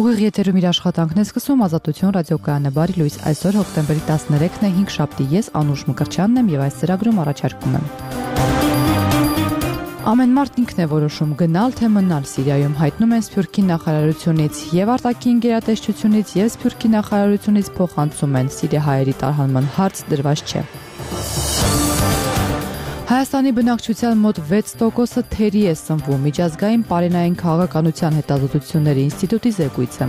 Ուղիղ եթերում իր աշխատանքն է սկսում Ազատություն ռադիոկայանը, բարի լույս, այսօր հոկտեմբերի 13-ն է, 5 շաբթի, ես Անուշ Մկրտչյանն եմ եւ այս ծրագրում առաջարկում եմ։ Ամեն մարդ ինքն է որոշում գնալ թե մնալ Սիրիայում, հայտնում են Սփյուռքի նախարարությունից եւ արտաքին գերատեսչությունից եւ Սփյուռքի նախարարությունից փոխանցում են սիրիահայերի տարհանման հարց դրված չէ։ Հայաստանի բնակչության մոտ 6%-ը թերի է սնվում, միջազգային պարենային քաղաքականության հետազոտությունների ինստիտուտի զեկույցը։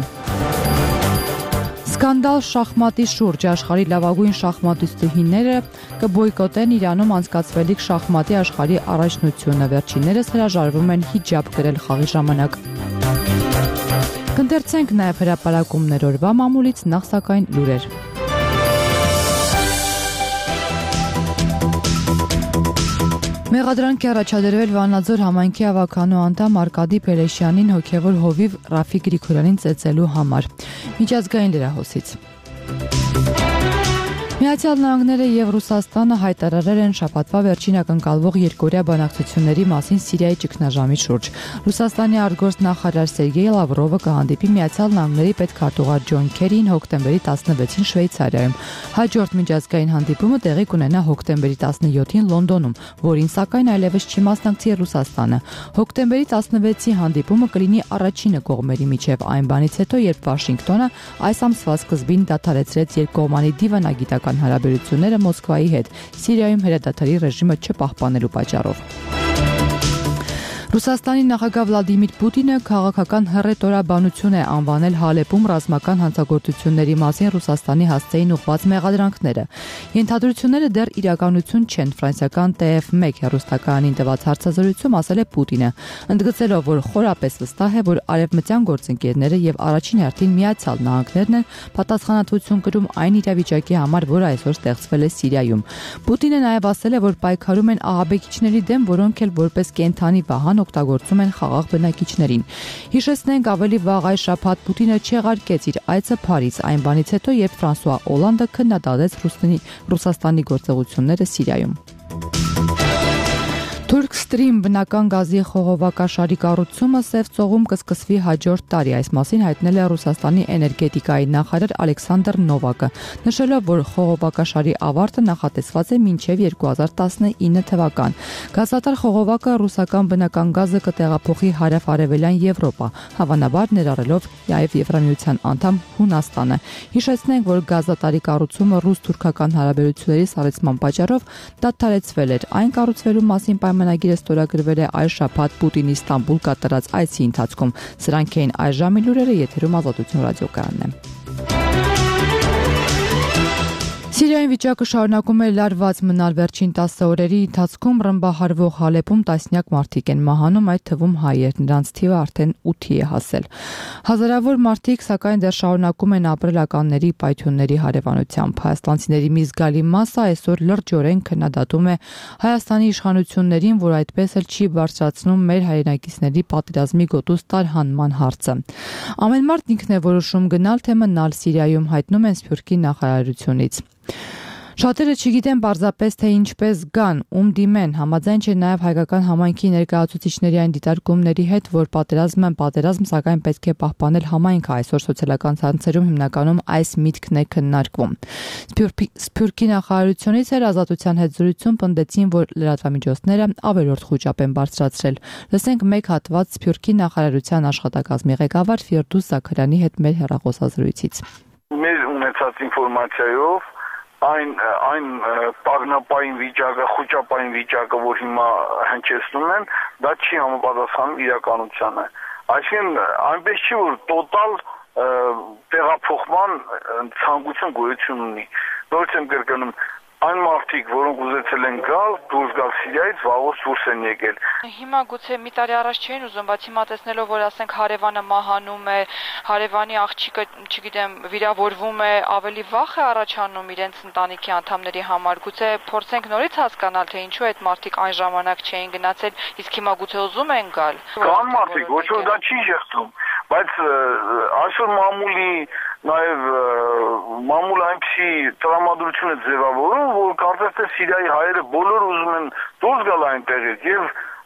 Սկանդալ շախմատի շուրջ աշխարհի լավագույն շախմատիստուհիները կբոյկոտեն Իրանում անցկացվելիք շախմատի աշխարհի առաջնությունը, վերջիններս հրաժարվում են հիջաբ կրել խաղի ժամանակ։ Կընթերցենք նաև հրապարակումներ օրվա մամուլից, նախ սակայն լուրեր։ Մեղադրանք է առաջադրվել Վանաձոր համայնքի ավականու անդամ Արկադի Փելեշյանին հոգևոր հովիվ Ռաֆիկ Գրիգորյանին ծեծելու համար։ Միջազգային լրահոսից։ Միացյալ Նահանգները եւ Ռուսաստանը հայտարարել են շաբաթվա վերջին ակնկալվող երկօրյա բանակցությունների մասին Սիրիայի ճգնաժամի շուրջ։ Ռուսաստանի արտգործնախարար Սերգեյ Լավրովը կհանդիպի Միացյալ Նահանգների պետքարտուղար Ջոն Քերին հոկտեմբերի 16-ին Շվեյցարիայում։ Հաջորդ միջազգային հանդիպումը տեղի կունենա հոկտեմբերի 17-ին Լոնդոնում, որին սակայն այլևս չի մասնակցի Ռուսաստանը։ Հոկտեմբերի 16-ի հանդիպումը կլինի առաջինը կողմերի միջև այն բանից հետո, երբ Վաշինգտոնը այս ամսվա սկզբին դադարեցրեց երկկողմանի դիվանագիտական հարաբերությունները Մոսկվայի հետ Սիրիայում հրադադարի ռեժիմը չպահպանելու պատճառով։ Ռուսաստանի նախագահ Վլադիմիր Պուտինը քաղաքական հռետորաբանություն է անվանել Հալեպում ռազմական հանցագործությունների մասին Ռուսաստանի հասցեին ուղղված մեղադրանքները։ Ենթադրությունները դեռ իրականություն չեն, ֆրանսիական TF1 հեռուստականին տված հարցազրույցում ասել է Պուտինը, ընդգծելով, որ խորապես վստահ է, որ արևմտյան գործընկերները եւ առաջին հերթին Միացյալ Նահանգներն են պատասխանատվություն կրում այն իրավիճակի համար, որը այսօր ստեղծվել է Սիրիայում։ Պուտինը նաև ասել է, որ պայքարում են ահաբեկիչների դեմ, որոնք էլ որպես կենթանի վահան օգտագործում են խաղաղ բնակիչներին։ Հիշեցնենք, ավելի վաղ այս շաբաթ Պուտինը չեղարկեց իր այցը Փարիզ այն բանից հետո, երբ Ֆրանսուଆ Օլանդը քննադատեց Ռուսաստանի գործողությունները Սիրիայում։ Turk Stream բնական գազի խողովակաշարի կառուցումը Սև ծովում կսկսվի հաջորդ տարի, այս մասին հայտնել է Ռուսաստանի էներգետիկայի նախարար Ալեքսանդր Նովակը, նշելով, որ խողովակաշարի ավարտը նախատեսված է մինչև 2019 թվական։ Գազատար խողովակը ռուսական բնական գազը կտեղափոխի հարավ-արևելյան Եվրոպա, հավանաբար ներառելով նաև Եվրամիության անդամ Հունաստանը։ Հիշեցնենք, որ գազատարի կառուցումը ռուս-թուրքական հարաբերությունների սառեցման պատճառով դադարեցվել էր։ Այն կառուցվելու մասին պայմանագիրը ստորագրվել է այս շաբաթ Պուտինի Ստամբուլ կատարած այցի ընթացքում։ Սրանք էին այս ժամի լուրերը, եթերում Ազատություն ռադիոկայանն է։ Սիրիայի վիճակը շարունակում է լարված մնալ, վերջին 10 օրերի ընթացքում ռմբահարվող Հալեպում տասնյակ մարդիկ են մահանում, այդ թվում հայեր, նրանց թիվը արդեն 8-ի է հասել։ Հազարավոր մարդիկ սակայն դեռ շարունակում են ապրել ականների պայթյունների հարևանությամբ։ Հայաստանցիների մի զգալի մասը այսօր լրջորեն քննադատում է Հայաստանի իշխանություններին, որ այդպես էլ չի բարձրացնում մեր հայրենակիցների պատերազմի գոտուց տարհանման հարցը։ Ամեն մարդ ինքն է որոշում գնալ թե մնալ Սիրիայում, հայտնում են Սփյուռքի նախարարությունից։ Շատերը չգիտեն պարզապես, թե ինչպես գան, ում դիմեն, համաձայն չէ նաև հայկական համայնքի ներկայացուցիչների այն դիտարկումների հետ, որ պատերազմ, սակայն պետք է պահպանել համայնքը, այսօր սոցիալական ցանցերում հիմնականում այս միտքն է քննարկվում։ Սփյուռքի նախարարությունից էր Ազատության հետ զրույցում պնդեցին, որ լրատվամիջոցները ավելորդ խոճապ են բարձրացրել։ Լսենք մեկ հատված Սփյուռքի նախարարության աշխատակազմի ղեկավար Ֆիրդուս Զաքարյանի հետ մեր հեռախոսազրույցից։ Մեր ունեցած ինֆորմացիայով այն տագնապային վիճակը, խոճապային վիճակը, որ հիմա հնչեցնում են, դա չի համապատասխանում իրականությանը։ Այսինքն այնպես չի, որ տոտալ տեղափոխման ցանկություն գոյություն ունի։ Նորից եմ կրկնում, այն մարդիկ, որոնք ուզեցել են գալ, դուրս գալ Սիրիայից, վաղուց դուրս են եկել։ Հիմա գուցե մի տարի առաջ չէին ուզում, բայց հիմա տեսնելով, որ ասենք հարևանը մահանում է, հարևանի աղջիկը, չգիտեմ, վիրավորվում է, ավելի վախ է առաջանում իրենց ընտանիքի անդամների համար։ Գուցե փորձենք նորից հասկանալ, թե ինչու այդ մարդիկ այն ժամանակ չէին գնացել, իսկ հիմա գուցե ուզում են գալ։ Կան մարդիկ, ոչ որ դա չի շեղծում, բայց այսօր մամուլը այնպիսի տրամադրություն է ձևավորում, որ կարծես թե Սիրիայի հայերը բոլորը ուզում են դուրս գալ այնտեղից եւ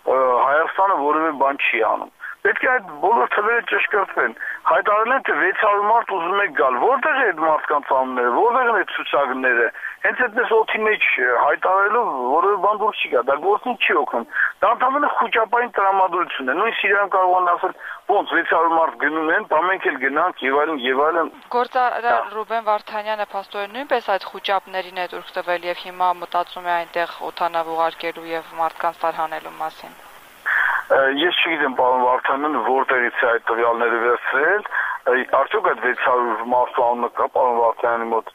Հայաստանը որևէ բան չի անում։ Պետք է այդ բոլոր թվերը ճշգրտվեն։ Հայտարարել են, թե 600 մարդ ուզում է գալ։ Որտեղ է այդ մարդկանց անունները, որտեղ են այդ ցուցակները։ Հենց այդպես օդի մեջ հայտարարելով որևէ բան դուրս չի գա, դա գործին չի օգնում։ Դա ընդհանրապես խոճապային տրամադրություն է։ Նույն Սիրիայում կարող են ասել, ոնց 600 մարդ գնում են, բա մենք էլ գնանք եւ այլն եւ այլն։ Գործարար Ռուբեն Վարդանյանը փաստորեն նույնպես այդ խոճապներին է դուրս տվել եւ հիմա մտածում է այնտեղ օդանավ ուղարկելու եւ մարդկանց տարհանելու մասին։ Ես չգիտեմ, պարոն Վարդանյանը որտեղից է այդ տվյալները վերցրել, արդյոք այդ 600 մարդու անունը կա պարոն Վարդանյանի մոտ։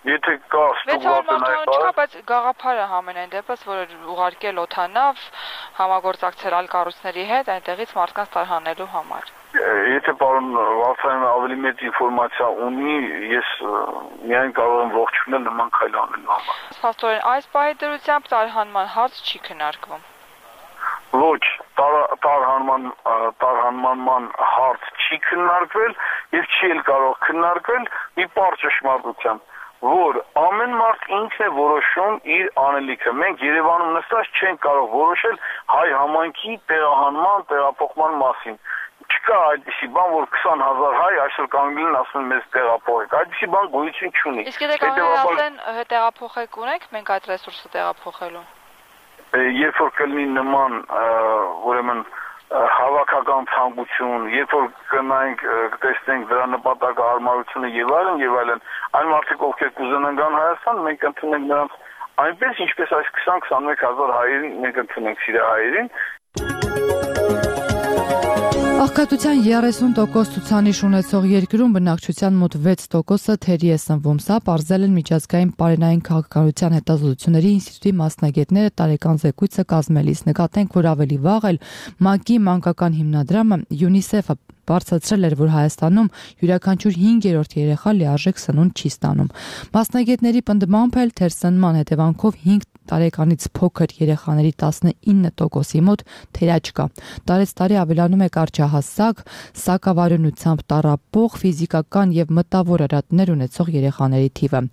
Եթե կա ստուգված չկա, բայց գաղափարը համենայն դեպս, որ ուղարկել օդանավ, համագործակցել այլ կառույցների հետ, այնտեղից մարդկանց տարհանելու համար։ Եթե պարոն Վարդանյանը ավելի մեծ ինֆորմացիա ունի, ես միայն կարող եմ ողջունել նման քայլ անելու համար։ Փաստորեն այս պահի դրությամբ տարհանման հարց չի քննարկվում։ Ոչ, տարհանման հարց չի քննարկվել եւ չի էլ կարող քննարկվել մի պարզ ճշմարտությամբ, որ ամեն մարդ ինքն է որոշում իր անելիքը։ Մենք Երևանում նստած չենք կարող որոշել հայ համայնքի տեղահանման, տեղափոխման մասին։ Չկա այդպիսի բան, որ 20,000 հայ այսօր կանգնին ասում մեզ տեղափոխեք։ Այդպիսի բան գոյություն չունի։ Իսկ եթե կանգնեն ասեն տեղափոխեք ունենք, մենք այդ ռեսուրսը տեղափոխելու։ Երբ որ կլինի նման ուրեմն հավաքական ցանկություն, երբ որ կնայենք տեսնենք դրա նպատակը հարմարությունը եւ այլն, այն մարդիկ ովքեր կուզենան գան Հայաստան, մենք ընդունենք նրանց այնպես, ինչպես այս 20-21,000 հայերին մենք ընդունենք սիրահայերին։ Աղքատության 30% ցուցանիշ ունեցող երկրում բնակչության մոտ 6%-ը թերի է սնվում։ Սա պարզել են միջազգային պարենային քաղաքականության հետազոտությունների ինստիտուտի մասնագետները տարեկան զեկույցը կազմելիս։ Նկատենք, որ ավելի վաղ էլ ՄԱԿ-ի մանկական հիմնադրամը UNICEF-ը բարձրացրել էր, որ Հայաստանում յուրաքանչյուր 5-րդ երեխա լիարժեք սնունդ չի ստանում։ Մասնագետների պնդմամբ էլ թերսնման հետևանքով 5 տարեկանից փոքր երեխաների 19%-ի մոտ թերաճ կա։ Տարեցտարի ավելանում է կարճահասակ, սակավարյունությամբ տառապող, ֆիզիկական եւ մտավոր արատներ ունեցող երեխաների թիվը։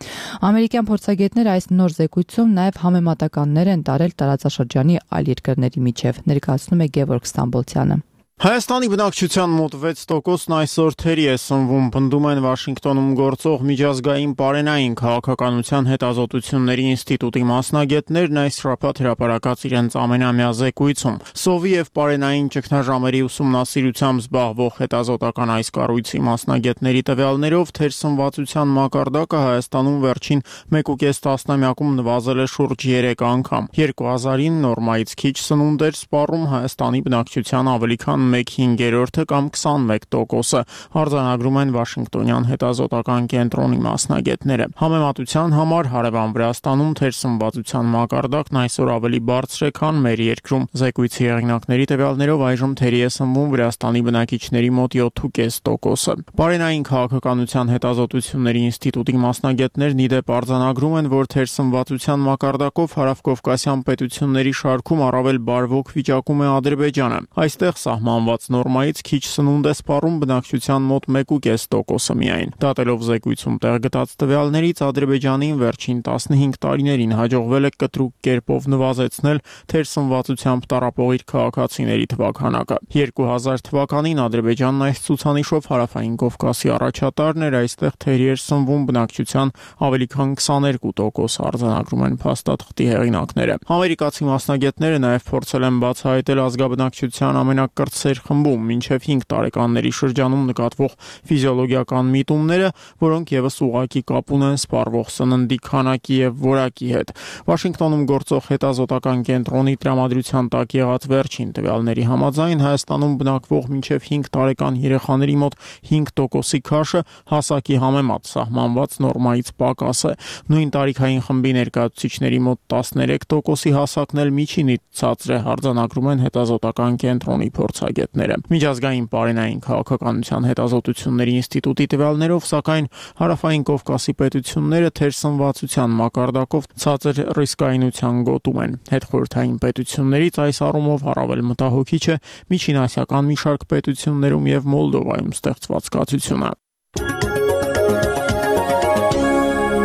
Ամերիկյան փորձագետները այս նոր զեկույցում նաեւ համեմատականներ են տարել տարածաշրջանի այլ երկրների միջև, ներկայացնում է Գևորգ Ստամբոլցյանը։ Հայաստանի բնակչության մոտ 6%-ն այսօր թերի է սնվում, պնդում են Վաշինգտոնում գործող միջազգային պարենային քաղաքականության հետազոտությունների ինստիտուտի մասնագետներն այս շաբաթ հրապարակած իրենց ամենամյա զեկույցում։ Սովի եւ պարենային ճգնաժամերի ուսումնասիրությամբ զբաղվող հետազոտական այս կառույցի մասնագետների տվյալներով թերսնվածության մակարդակը Հայաստանում վերջին 1.5 տասնամյակում նվազել է շուրջ 3 անգամ։ 2000-ին նորմայից քիչ սնունդ էր սպառում Հայաստանի բնակչության ավելի քան 1/5 կամ 21%-ը, արձանագրում են Վաշինգտոնյան հետազոտական կենտրոնի մասնագետները։ Համեմատության համար հարևան Վրաստանում թերսնվածության մակարդակն այսօր ավելի բարձր է, քան մեր երկրում։ Զեկույցի հեղինակների տվյալներով այժմ թերի է սնվում Վրաստանի բնակիչների մոտ 7.5%-ը։ Պարենային քաղաքականության հետազոտությունների ինստիտուտի մասնագետներն ի դեպ արձանագրում են, որ թերսնվածության մակարդակով հարավկովկասյան պետությունների շարքում առավել բարվոք վիճակում է Ադրբեջանը։ Այստեղ սահմանված նորմայից քիչ սնունդ է սպառում բնակչության մոտ 1.5%-ը միայն։ Դատելով զեկույցում տեղ գտած տվյալներից, Ադրբեջանին վերջին 15 տարիներին հաջողվել է կտրուկ կերպով նվազեցնել թերսնվածությամբ տառապող իր քաղաքացիների թվաքանակը։ 2000 թվականին Ադրբեջանն այս ցուցանիշով հարավային Կովկասի առաջատարն էր, այստեղ թերի էր սնվում բնակչության ավելի քան 22%, արձանագրում են փաստաթղթի հեղինակները։ Ամերիկացի մասնագետները նաև փորձել են բացահայտել ազգաբնակչության ամենակրտսեր խմբում մինչև 5 տարեկանների շրջանում նկատվող ֆիզիոլոգիական միտումները, որոնք եւս ուղղակի կապ ունեն սպառվող սննդի քանակի եւ որակի հետ։ Վաշինգտոնում գործող հետազոտական կենտրոնի տրամադրության տակ եղած վերջին տվյալների համաձայն Հայաստանում բնակվող մինչև 5 տարեկան երեխաների մոտ 5%-ի քաշը հասակի համեմատ սահմանված նորմայից պակաս է։ Նույն տարիքային խմբի ներկայացուցիչների մոտ 13%-ի հասակն էլ միջինից ցածր է, արձանագրում են հետազոտական կենտրոնի փորձագետները։ Միջազգային պարենային քաղաքականության հետազոտությունների ինստիտուտի տվյալներով, սակայն հարավային Կովկասի պետությունները թերսնվածության մակարդակով ցածր ռիսկայնության գոտում են։ Հետխորհրդային պետություններից այս առումով առավել մտահոգիչ է միջինասիական մի շարք պետություններում եւ Մոլդովայում ստեղծված կացությունը։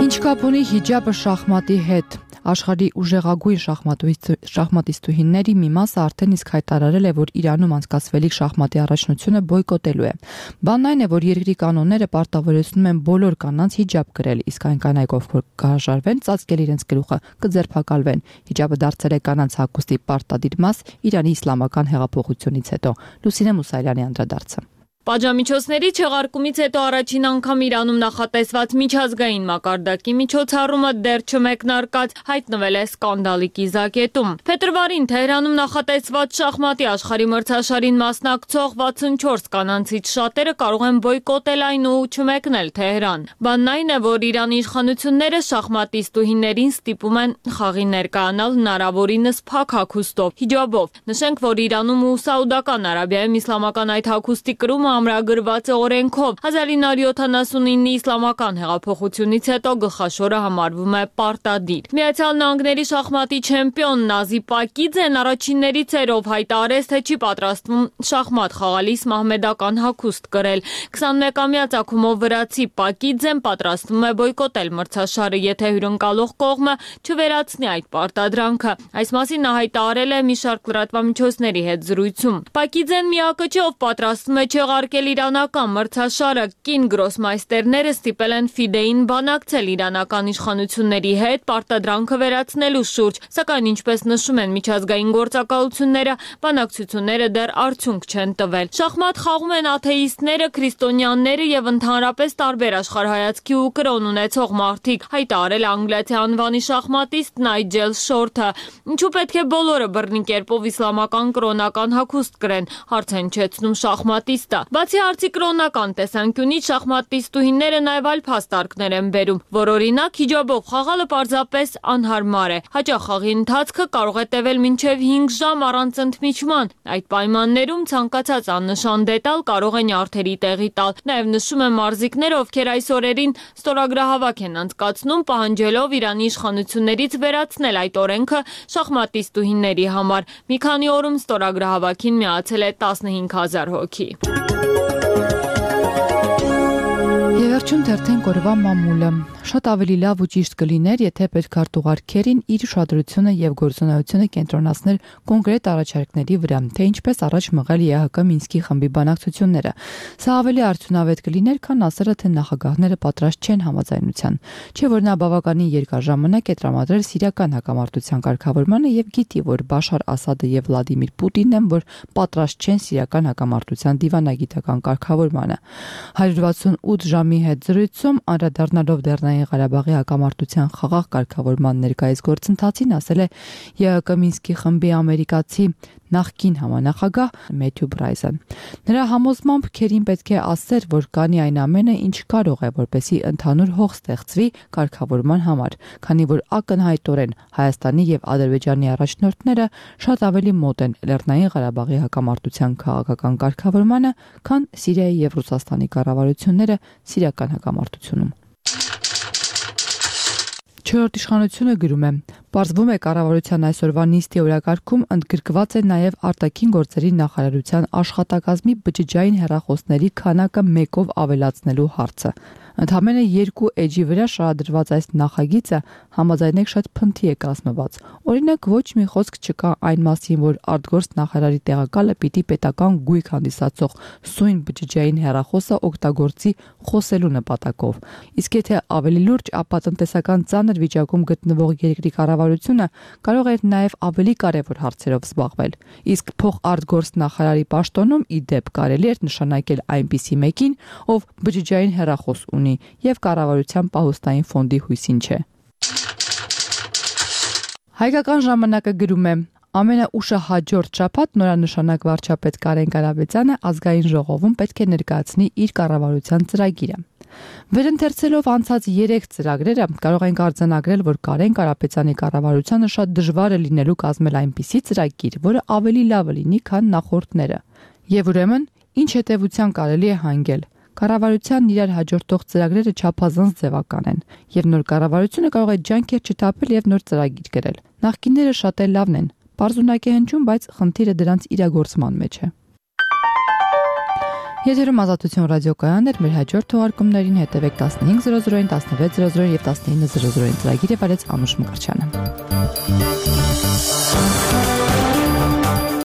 Ինչ կապ ունի հիջաբը շախմատի հետ։ Աշխարհի ուժեղագույն շախմատիստուհիների մի մասը արդեն իսկ հայտարարել է, որ Իրանում անցկացվելիք շախմատի առաջնությունը բոյկոտելու է։ Բանն այն է, որ երկրի կանոնները պարտավորեցնում են բոլոր կանանց հիջաբ կրել, իսկ այն կանայք, ովքեր կհրաժարվեն ծածկել իրենց գլուխը, կձերբակալվեն։ Հիջաբը դարձել է կանանց հագուստի պարտադիր մաս Իրանի իսլամական հեղափոխությունից հետո։ Լուսինե Մուսայելյանի անդրադարձը։ Պատժամիջոցների չեղարկումից հետո առաջին անգամ Իրանում նախատեսված միջազգային մակարդակի միջոցառումը դեռ չմեկնարկած հայտնվել է սկանդալի կիզակետում։ Փետրվարին Թեհրանում նախատեսված շախմատի աշխարհի մրցաշարին մասնակցող 64 կանանցից շատերը կարող են բոյկոտել այն ու չմեկնել Թեհրան։ Բանն այն է, որ Իրանի իշխանությունները շախմատիստուհիներին ստիպում են խաղի ներկայանալ հնարավորինս փակ հագուստով, հիջաբով։ Նշենք, որ Իրանում ու Սաուդական Արաբիայում իսլամական այդ հագուստի կրումը ամրագրված է օրենքով։ 1979-ի իսլամական հեղափոխությունից հետո գլխաշորը համարվում է պարտադիր։ Միացյալ Նահանգների շախմատի չեմպիոն Նազի Պակիձեն առաջիններից էր, ով հայտարարեց, թե չի պատրաստվում շախմատ խաղալիս մահմեդական հագուստ կրել։ 21-ամյա ծագումով վրացի Պակիձեն պատրաստվում է բոյկոտել մրցաշարը, եթե հյուրընկալող կողմը չվերացնի այդ պարտադրանքը։ Այս մասին նա հայտարարել է մի շարք լրատվամիջոցների հետ զրույցում։ Պակիձեն միակը չէ, ով պատրաստվում է չեղարկել իրանական մրցաշարը։ Կին գրոսմայստերները ստիպել են FIDE-ին բանակցել իրանական իշխանությունների հետ պարտադրանքը վերացնելու շուրջ, սակայն ինչպես նշում են միջազգային գործակալությունները, բանակցությունները դեռ արդյունք չեն տվել։ Շախմատ խաղում են աթեիստները, քրիստոնյաները եւ ընդհանրապես տարբեր աշխարհայացքի ու կրոն ունեցող մարդիկ, հայտարարել անգլիացի անվանի շախմատիստ Նայջել Շորթը։ Ինչու պետք է բոլորը բռնի կերպով իսլամական կրոնական հագուստ կրեն, հարց է հնչեցնում շախմատիստը։ Բացի հարցի կրոնական տեսանկյունից շախմատիստուհիները նաև այլ փաստարկներ են բերում, որ օրինակ հիջաբով խաղալը պարզապես անհարմար է։ Հաճախ խաղի ընթացքը կարող է տևել մինչև 5 ժամ առանց ընդմիջման։ Այդ պայմաններում ցանկացած աննշան դետալ կարող է նյարդերի տեղի տալ։ Նաև նշում են մարզիկները, ովքեր այս օրերին ստորագրահավաք են անցկացնում, պահանջելով Իրանի իշխանություններից վերացնել այդ օրենքը շախմատիստուհիների համար։ Մի քանի օրում ստորագրահավաքին միացել է 15000 հոգի։ Եվերջում թերթենք օրվա մամուլը։ Շատ ավելի լավ ու ճիշտ կլիներ, եթե պետքարտուղար Քերին իր ուշադրությունը եւ գործունեությունը կենտրոնացներ կոնկրետ առաջարկների վրա, թե ինչպես առաջ մղել ԵՀԿ Մինսկի խմբի բանակցությունները։ Սա ավելի արդյունավետ կլիներ, քան ասելը, թե նախագահները պատրաստ չեն համաձայնության։ Չէ՞ որ նա բավականին երկար ժամանակ է տրամադրել սիրիական հակամարտության կարգավորմանը եւ գիտի, որ Բաշար Ասադը եւ Վլադիմիր Պուտինն են, որ պատրաստ չեն սիրիական հակամարտության դիվանագիտական կարգավորմանը։ 168 ժամի հետ զրույցում անդրադառնալով Լեռնային Ղարաբաղի հակամարտության խաղաղ կարգավորման ներկայիս գործընթացին, ասել է ԵՀԿ Մինսկի խմբի ամերիկացի նախկին համանախագահ Մեթյու Բրայզը։ Նրա համոզմամբ Քերին պետք է ասեր, որ կանի այն ամենը, ինչ կարող է, որպեսզի ընդհանուր հող ստեղծվի կարգավորման համար, քանի որ ակնհայտորեն Հայաստանի եւ Ադրբեջանի առաջնորդները շատ ավելի մոտ են Լեռնային Ղարաբաղի հակամարտության քաղաքական կարգավորմանը, քան Սիրիայի եւ Ռուսաստանի կառավարությունները սիրիական հակամարտությունում։ Չորրորդ իշխանությունը գրում է. Պարզվում է կառավարության այսօրվա նիստի օրակարգում ընդգրկված է նաև արտաքին գործերի նախարարության աշխատակազմի բջջային հեռախոսների քանակը 1-ով ավելացնելու հարցը։ Ընդամենը 2 էջի վրա շարադրված այս նախագիծը համաձայնեք շատ փնթի է կազմված։ Օրինակ, ոչ մի խոսք չկա այն մասին, որ արտգործ նախարարի տեղակալը պիտի պետական գույք հանդիսացող սույն բջջային հեռախոսը օգտագործի խոսելու նպատակով։ Իսկ եթե ավելի լուրջ, ապա տնտեսական ծանր վիճակում գտնվող երկրի կառավարությունը կարող է նաև ավելի կարևոր հարցերով զբաղվել։ Իսկ փոխարտգործ նախարարի պաշտոնում ի դեպ կարելի է նշանակել այնպիսի մեկին, ով բջջային հեռախոս ունի եւ կառավարության պահոստային ֆոնդի հույսին չէ։ Հայկական ժամանակը գրում է. ամենաուշահաջորդ շաբաթ նորանշանակ վարչապետ Կարեն Կարապետյանը ազգային ժողովում պետք է ներկայացնի իր կառավարության ծրագիրը։ Վերընթերցելով անցած 3 ծրագրերը կարող ենք արձանագրել, որ Կարեն Կարապետյանի կառավարությանը շատ դժվար է լինելու կազմել այնպիսի ծրագիր, որը ավելի լավը լինի, քան նախորդները։ Եվ ուրեմն, ինչ հետևության կարելի է հանգել։ Կառավարությանն իրար հաջորդող ծրագրերը չափազանց ձևական են, եւ նոր կառավարությունը կարող է ջանքեր չթափել եւ նոր ծրագիր գրել։ Նախկինները շատ էլ լավն են, պարզունակ է հնչում, բայց խնդիրը դրանց իրագործման մեջ է։ Եթերում Ազատություն ռադիոկայանն էր, մեր հաջորդ թողարկումներին հետևեք 15:00-ին, 16:00-ին եւ 19:00-ին ծրագիրը վարեց Անուշ Մկրտչյանը։